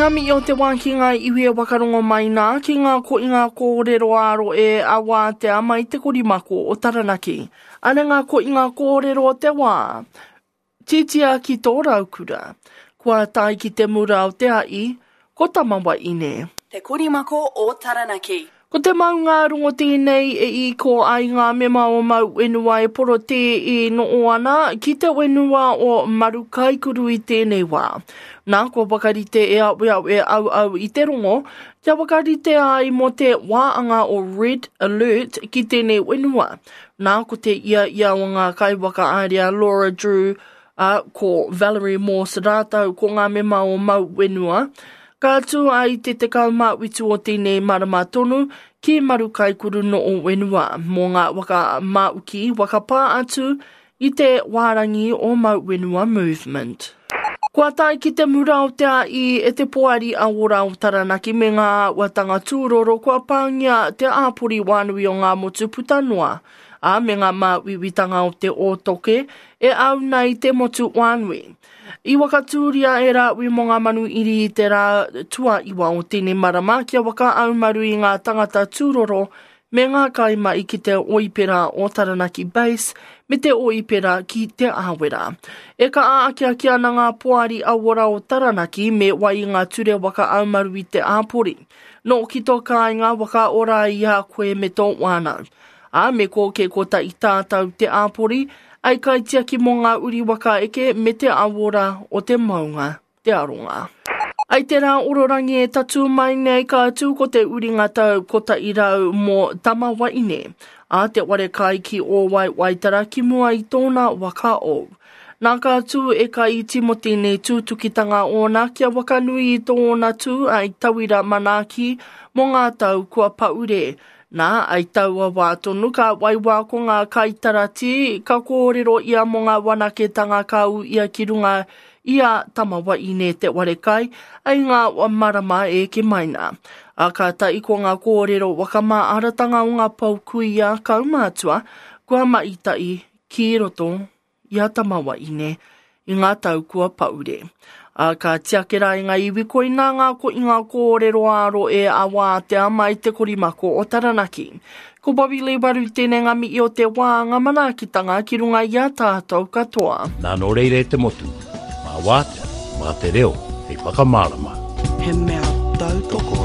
Ngā mihi o te wā ki ngā iwi e wakarongo mai nā, ki ngā koinga kōrero ā-rohe a Wātea mai te korimako o Taranaki. Ana ngā koinga kōrero o te wā. Titia ki tō raukura. Kua tae ki te mura o te a'i, ko Tamawaine. Te korimako o Taranaki. Ko te maungārongo tēnei e iko ai ngā mema o Mau Whenua e porotē e noho ana ki te whenua o Marukaikuru i tēnei wā. Nā, kua whakarite e aweawe auau i te rongo, kia whakarite ai mō te wāanga o Red Alert ki tēnei whenua. Nā, ko te ia ia o ngā kaiwhakahaere a Laura Drew, ā, ko Valerie Morse rātou ko ngā mema o Mau Whenua, ka tū ai te 17 o tēnei marama tonu ki Marukaikuru Noo Whenua mō ngā waka māuki waka pā atu i te wārangi o Mau Whenua Movement. Kua tae ki te mura o te aī e te Poari Aora o Taranaki me ngā āhuatanga tūroro kua pāngia te āpori wānui o ngā motu puta noa, ā, me ngā māuiuitanga o te ōtoke e au nei te motu wānui. I wakatūria e Rāui mō ngā manu iri i te rā tuaiwa o tēnei marama kia whakaaumaru i ngā tangata tūroro me ngā kaimahi ki te oipera o Taranaki Base me te oipera ki Te Āwera. E kaha akiaki ana ngā poari auora o Taranaki me wai i ngā ture whakaaumaru i te āpori. Nō ki tō kāinga whakaora i a koe me tō whānau. Ā, me kōke kotahi tātou te āpori, ai kaitiaki mō ngā uri waka eke me te awora o te maunga, te aronga. Ai te rā ororangi e tatū mai nei ka tū ko te uringa tau 100 mō Tamawaine, ā, te ware kai ki Ōwai Waitara ki mua i tōna waka ou. Nā ka tū e ka iti mō tēnei tūtukitanga ōna kia wakanui i tōna tū ai tauira manaaki mō ngā tau kua paure, Nā, i taua wā tonu ka waiwā ko ngā kaitaratī, ka kōrero ia mō ngā wanaketanga ka ū ia ki runga i a Tamawaine Te Warekai i ngā marama e eke mai nā. Ā, kātahi ko ngā kōrero whakamāharatanga o ngā pou kuia kaumātua kua maita'i ki roto i a Tamawaine i ngā tau kua paure. Ā, ka tiake rā i ngā iwi koinā ngā koinga kōrero ā-rohe a Wātea mai te korimako o Taranaki. Ko Bobby Lee Waru tēnei ngā mihi o te wā, ngā manaakitanga ki runga i a tātou katoa. Nā nō reira e te motu, mā Wātea, mā te reo hei whakamārama. He mea tautoko.